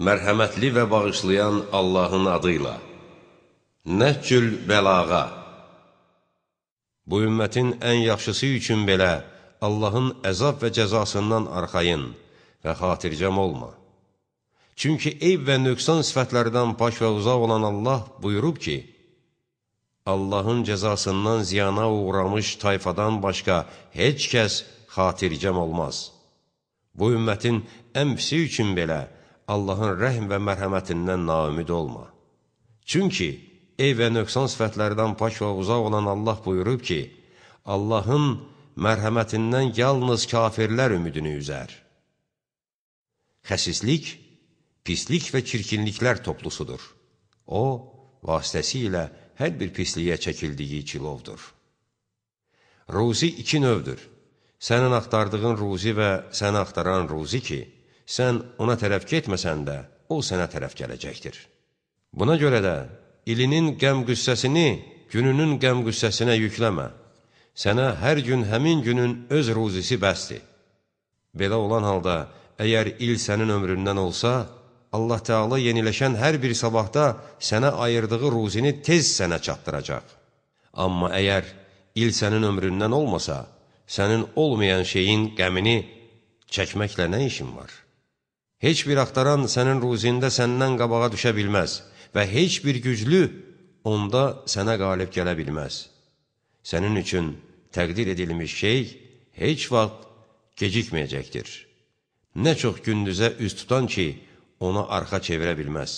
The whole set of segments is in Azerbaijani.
Mərhəmətli və bağışlayan Allahın adıyla. Nəhcül bəlağa. Bu ümmətin ən yaxşısı üçün belə Allahın əzab və cəzasından arxayın və xatircəm olma. Çünki eyb və nöqsan sifətlərdən pak və uzaq olan Allah buyurub ki, Allahın cəzasından ziyana uğramış tayfadan başqa heç kəs xatircəm olmaz. Bu ümmətin ən pisi üçün belə Allahın rəhm və mərhəmətindən naümid olma. Çünki eyb və nöqsan sifətlərdən pak və uzaq olan Allah buyurub ki, Allahın mərhəmətindən yalnız kafirlər ümidini üzər. Xəsislik, pislik və çirkinliklər toplusudur. O, vasitəsilə hər bir pisliyə çəkildiyi kilovdur. Ruzi iki növdür. Sənin axtardığın ruzi və səni axtaran ruzi ki, sən ona tərəf getməsən də, o sənə tərəf gələcəkdir. Buna görə də ilinin qəm-qüssəsini gününün qəm-qüssəsinə yükləmə. Sənə hər gün həmin günün öz ruzisi bəsdir. Belə olan halda, əgər il sənin ömründən olsa, Allah Teala yeniləşən hər bir sabahda sənə ayırdığı ruzini tez sənə çatdıracaq. Amma əgər il sənin ömründən olmasa, sənin olmayan şeyin qəmini çəkməklə nə işin var? Heç bir axtaran sənin ruzində səndən qabağa düşə bilməz və heç bir güclü onda sənə qalib gələ bilməz. Sənin üçün təqdir edilmiş şey heç vaxt gecikməyəcəkdir. Nə çox gündüzə üz tutan ki, ona arxa çevirə bilməz.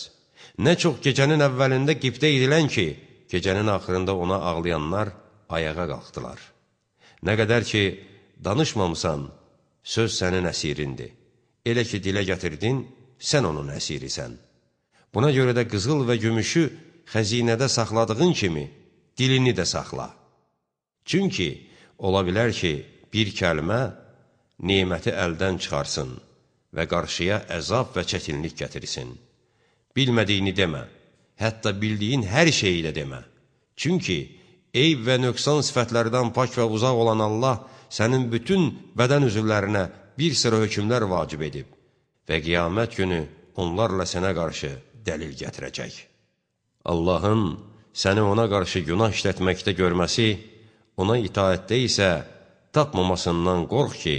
Nə çox gecənin əvvəlində qibdə edilən ki, gecənin axırında ona ağlayanlar ayağa qalxdılar. Nə qədər ki, danışmamısan, söz səninəsirindir. Elə ki, dilə gətirdin, sən onun əsirisən. Buna görə də qızıl və gümüşü xəzinədə saxladığın kimi, dilini də saxla. Çünki, ola bilər ki, bir kəlmə neməti əldən çıxarsın və qarşıya əzab və çətinlik gətirsin. Bilmədiyini demə, hətta bildiyin hər şeyi də demə. Çünki, eyb və nöqsan sifətlərdən pak və uzaq olan Allah sənin bütün bədən üzvlərinə bir sıra hökmlər vacib edib və qiyamət günü onlarla sənə qarşı dəlil gətirəcək. Allahın səni ona qarşı günah işlətməkdə görməsi, ona itaətdə isə tapmamasından qorx ki,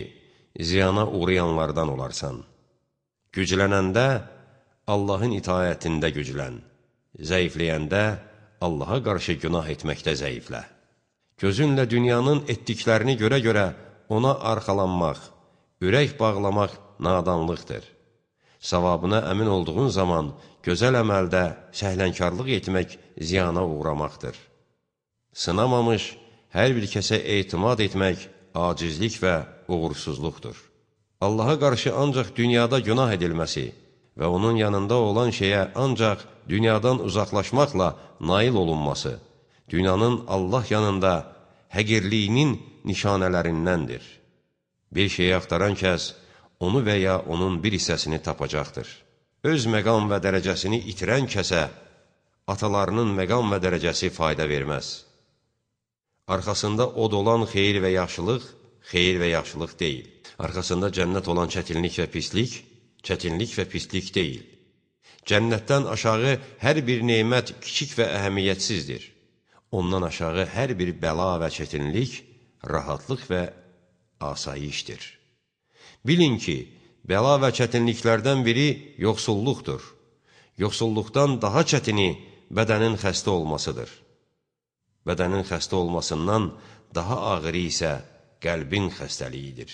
ziyana uğrayanlardan olarsan. Güclənəndə Allahın itaətində güclən, zəifləyəndə Allaha qarşı günah etməkdə zəiflə. Gözünlə dünyanın etdiklərini görə-görə ona arxalanmaq, ürək bağlamaq nadanlıqdır. Savabına əmin olduğun zaman gözəl əməldə səhlənkarlıq etmək ziyana uğramaqdır. Sınamamış hər bir kəsə etimad etmək acizlik və uğursuzluqdur. Allaha qarşı ancaq dünyada günah edilməsi və onun yanında olan şeyə ancaq dünyadan uzaqlaşmaqla nail olunması, dünyanın Allah yanında həqirliyinin nişanələrindəndir. Bir şeyi axtaran kəs, onu və ya onun bir hissəsini tapacaqdır. Öz məqam və dərəcəsini itirən kəsə, atalarının məqam və dərəcəsi fayda verməz. Arxasında od olan xeyir və yaxşılıq deyil. Arxasında cənnət olan çətinlik və pislik deyil. Cənnətdən aşağı hər bir neymət kiçik və əhəmiyyətsizdir. Ondan aşağı hər bir bəla və çətinlik, rahatlıq və asayişdir. Bilin ki, bəla və çətinliklərdən biri yoxsulluqdur. Yoxsulluqdan daha çətini bədənin xəstə olmasıdır. Bədənin xəstə olmasından daha ağırı isə qəlbin xəstəliyidir.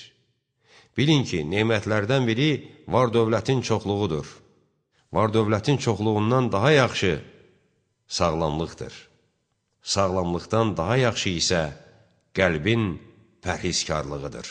Bilin ki, nemətlərdən biri var-dövlətin çoxluğudur. Var-dövlətin çoxluğundan daha yaxşı sağlamlıqdır. Sağlamlıqdan daha yaxşı isə qəlbin pərhizkarlığıdır.